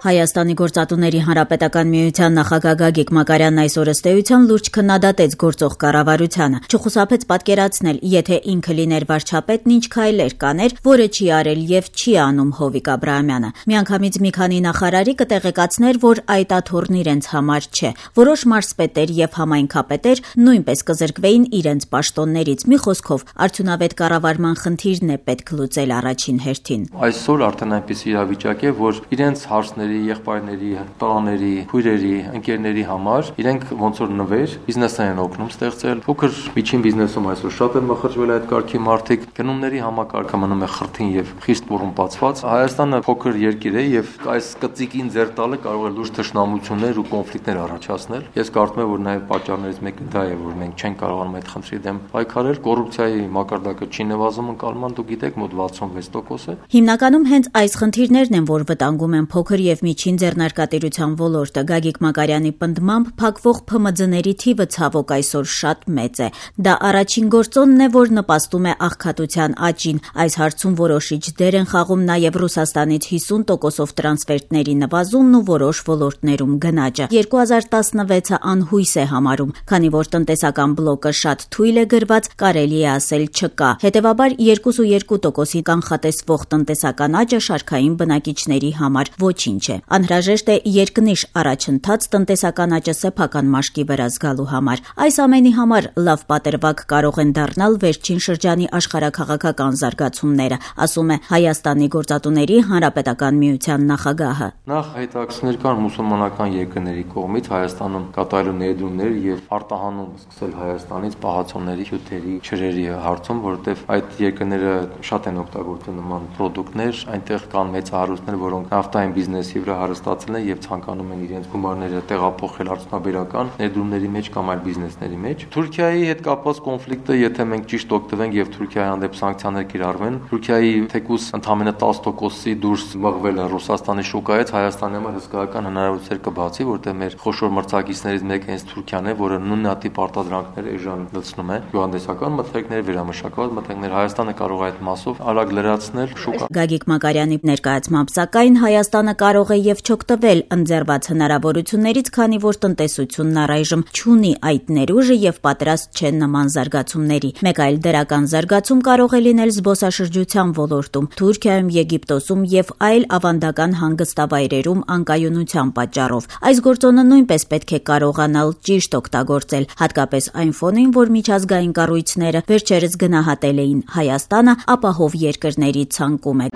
Հայաստանի գործատուների հանրապետական միության նախագահ Գագիկ Մակարյանն այսօր ըստ էության լուրջ քննադատեց գործող կառավարությանը, չխուսափեց պատկերացնել, եթե ինքը լիներ վարչապետն ինչ քայլեր կաներ, որը չի արել եւ չի անում Հովիկ Աբրահամյանը։ Միանգամից մի քանի նախարարի կտեղեկացներ, որ այդ աթոռն իրենց համար չէ։ Որոշ մարզպետեր եւ համայնքապետեր նույնպես կզրկվեին իրենց պաշտոններից։ Մի խոսքով, արդյունավետ կառավարման խնդիրն է պետք լուծել առաջին հերթին։ Այսօր արդեն այնպես իրավիճակ է, որ իրենց հարցների եղբայրների, տղաների, քույրերի, ընկերների համար իրենք ոնց որ նվեր բիզնեսներ են օգնում ստեղծել։ Փոքր միջին բիզնեսում այսօր շատ են մխրճվել այդ կարգի մարդիկ, գնումների համակարգը մնում է խրթին եւ խիստ բռունպացված։ Հայաստանը փոքր երկիր է եւ այս կծիկին ձեռ տալը կարող է լուրջ թշնամություններ ու կոնֆլիկտներ առաջացնել։ Ես կարծում եմ, որ նաեւ պատճառներից մեկը դա է, որ մենք չենք կարողանում այդ խնդրի դեմ պայքարել։ Կոռուպցիայի մակարդակը չի նվազում ընկալման, դուք գիտեք, մոտ 66% է։ Հիմնականում հենց այս խնդիրներն են, որ վտանգում են փոքր եւ միջին ձեռնարկատիրության ոլորտը։ Գագիկ Մակարյանի պնդմամբ փակվող ՓՄԶ-ների թիվը ցավոք այսօր շատ մեծ է։ Դա առաջին գործոնն է, որ նպաստում է աղքատության աճին։ Այս հարցում որոշիչ դեր են խաղում նաեւ Ռուսաստանից 50%-ով տրանսֆերտների նվազումն ու որոշ ոլորտներում գնաճը։ 2016-ը անհույս է համարում, քանի որ տնտեսական բլոկը շատ թույլ է գրված, կարելի է ասել չկա։ Հետևաբար 2.2%-ի կանխատեսվող տնտեսական աճը շարքային բնակիչների համար ոչինչ է։ Անհրաժեշտ է երկնիշ առաջընթաց տնտեսական աճը սեփական մաշկի վրա զգալու համար։ Այս ամենի համար լավ պատրվակ կարող են դառնալ վերջին շրջանի աշխարհաքաղաքական զարգացումները, ասում է Հայաստանի գործատուների հանրապետական միության նախագահը։ Նախ հետաքրքրներ կան մուսուլմանական երկրների կողմից Հայաստանում կատարելու ներդրումներ եւ արտահանում սկսել Հայաստանից պահածոների, հյութերի, ջրերի հարցում, որովհետեւ այդ երկրները շատ են օգտագործում նման պրոդուկտներ, այնտեղ կան մեծ հարուստներ, որոնք նավթային բիզնեսի վրա հարստացել են եւ ցանկանում են իրենց գումարները տեղափոխել արդյունաբերական ներդրումների մեջ կամ այլ բիզնեսների մեջ։ Թուրքիայի հետ կապված կոնֆլիկտը, եթե մենք ճիշտ օգտվենք եւ Թուրքիայի հանդեպ սանկցիաներ կիրառվեն, Թուրքիայի թեկուզ ընդամենը 10%-ի դուրս մղվելը Ռուսաստանի շուկայից Հայաստանի համար հսկայական հնարավորություններ կբացի, որտեղ մեր խոշոր մրցակիցներից մեկը հենց Թուրքիան է, որը նույնատիպ արտադրանքներ էժան լցնում է, գյուղատնտեսական մթերքներ, վերամշակված մթերքներ։ Հայաստանը կարող է այդ մասով արագ լրացնել շուկա։ Գագիկ Մակարյանի ներկայացմամբ սակայն Հայաստանը կարող է եւ չօգտվել ընձեռված հնարավորություններից, քանի որ տնտեսությունն առայժմ չունի այդ ներուժը եւ պատրաստ չէ նման զարգացումների։ Մեկ այլ դրական զարգացում կարող է լինել զբոսաշրջության ոլորտում, Թուրքիայում, Եգիպտոսում եւ այլ ավանդական հանգստավայրերում անկայունության պատճառով։ Այս գործոնը նույնպես պետք է կարողանալ ճիշտ օգտագործել, հատկապես այն ֆոնին, որ միջազգային կառույցները վերջերս գնահատել էին Հայաստանը ապահով երկրների ցանկում է։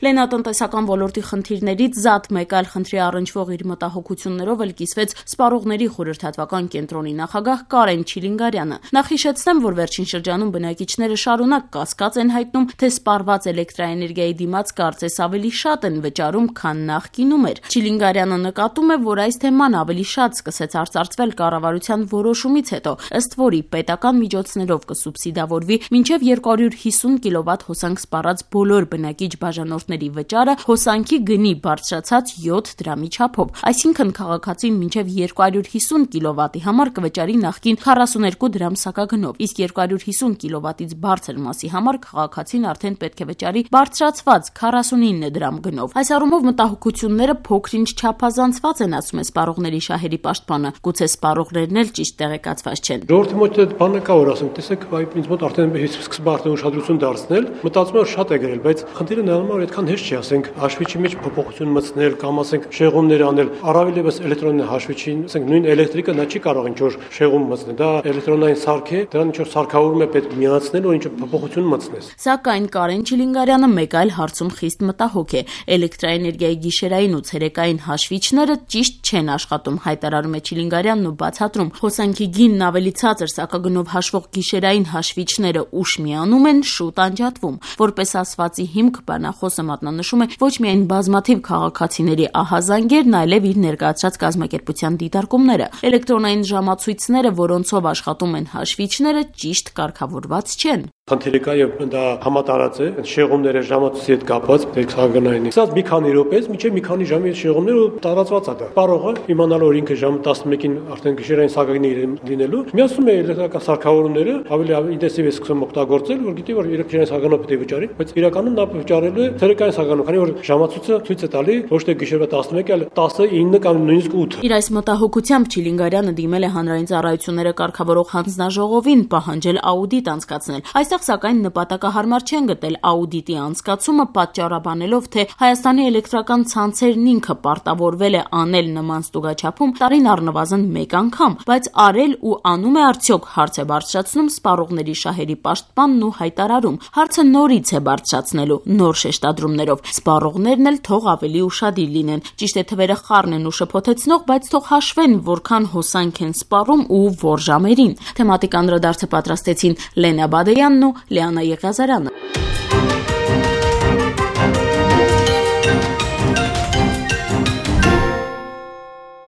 Լենատնտեսական ոլորտի խնդիրներից զատ մեկ այլ խնդրի առնչվող իր մտահոգություններով էլ կիսվեց Սպառողների խորհրդատվական կենտրոնի նախագահ Կարեն Չիլինգարյանը։ Նախ հիշեցնեմ, որ վերջին շրջանում բնակիչները շարունակ կասկած են հայտնում, թե սպառված էլեկտրաէներգիայի դիմաց կարծես ավելի շատ են վճարում, քան նախկինում էր։ Չիլինգարյանը նկատում է, որ այս թեման ավելի շատ սկսեց արծարծվել կառավարության որոշումից հետո, ըստ որի պետական միջոցներով կսուբսիդավորվի մինչև 250 կՎտ հոսանք սպառած բոլոր բնակիչ բաժանորդների վճարը հոսանքի գնի բարձրացած 7 դրամի չափով, այսինքն քաղաքացին մինչև 250 կՎտ-ի համար կվճարի նախկին 42 դրամ սակագնով, իսկ 250 կՎտ-ից բարձր մասի համար քաղաքացին արդեն պետք է վճարի բարձրացված 49 դրամ գնով։ Այս առումով մտահոգությունները փոքր-ինչ չափազանցված են, ասում է Սպառողների շահերի պաշտպանը, գուցե սպառողներն էլ ճիշտ տեղեկացված չեն։ Ժողովրդի մոտ այդ բանը կա, որ ասում, տեսեք, ինձ մոտ արդեն սկսում արդեն ուշադրություն դարձնել, մտածում եմ շատ է գրել, բայց խնդիրը նրանում է այդքան հեշտ չի, ասենք, հաշվիչի մեջ փոփոխություն մտցնել կամ ասենք շեղումներ անել, առավել եւս էլեկտրոնային հաշվիչին, ասենք նույն էլեկտրիկը նա չի կարող ինչ-որ շեղում մտցնել, դա էլեկտրոնային սարք է, դրան ինչ-որ սարքավորում է պետք միացնել, որ ինչ-որ փոփոխություն մտցնես։ Սակայն Կարեն Չիլինգարյանը մեկ այլ հարցում խիստ մտահոգ է։ Էլեկտրաէներգիայի գիշերային ու ցերեկային հաշվիչները ճիշտ չեն աշխատում, հայտարարում է Չիլինգարյանն ու բացատրում, հոսանքի գինն ավելի ցածր սակագնով հաշվող գիշերային հաշվիչները ուշ միանում են, շուտ անջատվում։ Որպես ասվածի հիմք բանախոսը մատնանշում է ոչ միայն բազմաթիվ քաղաքացիների ահազանգերն, այլև իր ներկայացրած կազմակերպության դիտարկումները։ Էլեկտրոնային ժամացույցները, որոնցով աշխատում են հաշվիչները, ճիշտ կարգավորված չեն։ Խնդիրը կա եւ դա համատարած է, շեղումները ժամացույցի հետ կապված երկսագնային։ Սա մի քանի րոպեից մինչեւ մի քանի ժամի շեղումները տարածված է դա։ Պարողը իմանալ որ ինքը ժամը 11-ին արդեն գիշերային սագագնի լինելու, միացնում է էլեկտրական սարքավորումները, ավելի ինտենսիվ է սկսում օգտագործել, որ գիտի որ գիշերային սագանը պետք է վճարի, բայց իրականում նա վճարելու է ցերեկային սագանը, քանի որ ժամացույցը ցույց է տալի ոչ թե գիշերվա 11, այլ 19 կամ նույնիսկ 8։ Իր այս մտահոգությամբ Չիլինգարյանը դիմել է հանրային ծառայությունները կարգավորող հանձնաժողովին պահանջել աուդիտ անցկացնել։ Այստեղ սակայն նպատակահարմար չեն գտել աուդիտի անցկացումը, պատճառաբանելով, թե Հայաստանի էլեկտրական ցանցերն ինքը պարտավորվել է անել նման ստուգաչափում տարին առնվազն 1 անգամ, բայց արել ու անում է արդյոք, հարց է բարձրացնում սպառողների շահերի պաշտպանն ու հայտարարում։ Հարցը նորից է բարձրացնելու նոր շեշտադրումներով։ Սպառողներն էլ թող ավելի ուշադիր լինեն։ Ճիշտ է թվերը խառն են ու շփոթեցնող, բայց թող հաշվեն, որքան հոսանք են սպառում ու որ ժամերին։ Թեմատիկ անդրադարձը պատրաստեցին Լենա Բադեյանն ու Լիանա Եղիազարյանը։